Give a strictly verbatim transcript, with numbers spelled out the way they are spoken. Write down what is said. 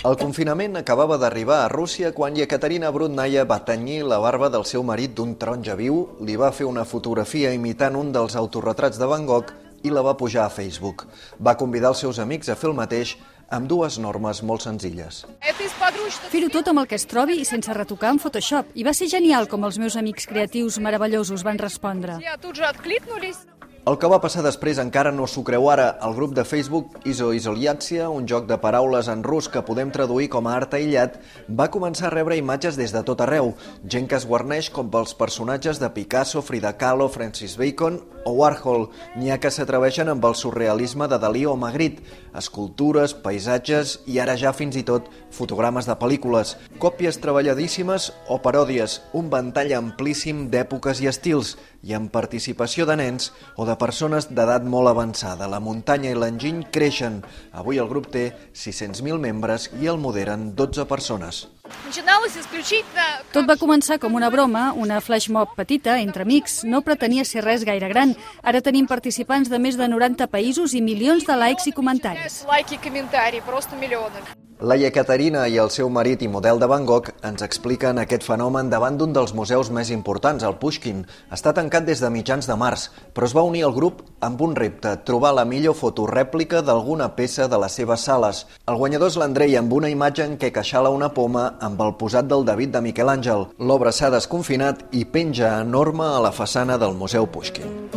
El confinament acabava d'arribar a Rússia quan Yekaterina Brudnaya va tenyir la barba del seu marit d'un taronja viu, li va fer una fotografia imitant un dels autorretrats de Van Gogh i la va pujar a Facebook. Va convidar els seus amics a fer el mateix amb dues normes molt senzilles. Fer-ho tot amb el que es trobi i sense retocar en Photoshop. I va ser genial com els meus amics creatius meravellosos van respondre. El que va passar després encara no s'ho creu ara. El grup de Facebook Izo-Izoliatsia, un joc de paraules en rus que podem traduir com a art aïllat, va començar a rebre imatges des de tot arreu. Gent que es guarneix com pels personatges de Picasso, Frida Kahlo, Francis Bacon o Warhol. N'hi ha que s'atreveixen amb el surrealisme de Dalí o Magritte, escultures, paisatges i ara ja fins i tot fotogrames de pel·lícules, còpies treballadíssimes o paròdies, un ventall amplíssim d'èpoques i estils, i amb participació de nens o de persones d'edat molt avançada. La muntanya i l'enginy creixen. Avui el grup té sis-cents mil membres i el moderen dotze persones. Tot va començar com una broma, una flash mob petita, entre amics. No pretenia ser res gaire gran. Ara tenim participants de més de noranta països i milions de likes i comentaris. La Yekaterina i el seu marit i model de Van Gogh ens expliquen aquest fenomen davant d'un dels museus més importants, el Pushkin. Està tancat des de mitjans de març, però es va unir al grup amb un repte, trobar la millor fotorèplica d'alguna peça de les seves sales. El guanyador és l'Andrei, amb una imatge en què queixala una poma amb el posat del David de Miquel Àngel. L'obra s'ha desconfinat i penja enorme a la façana del Museu Pushkin.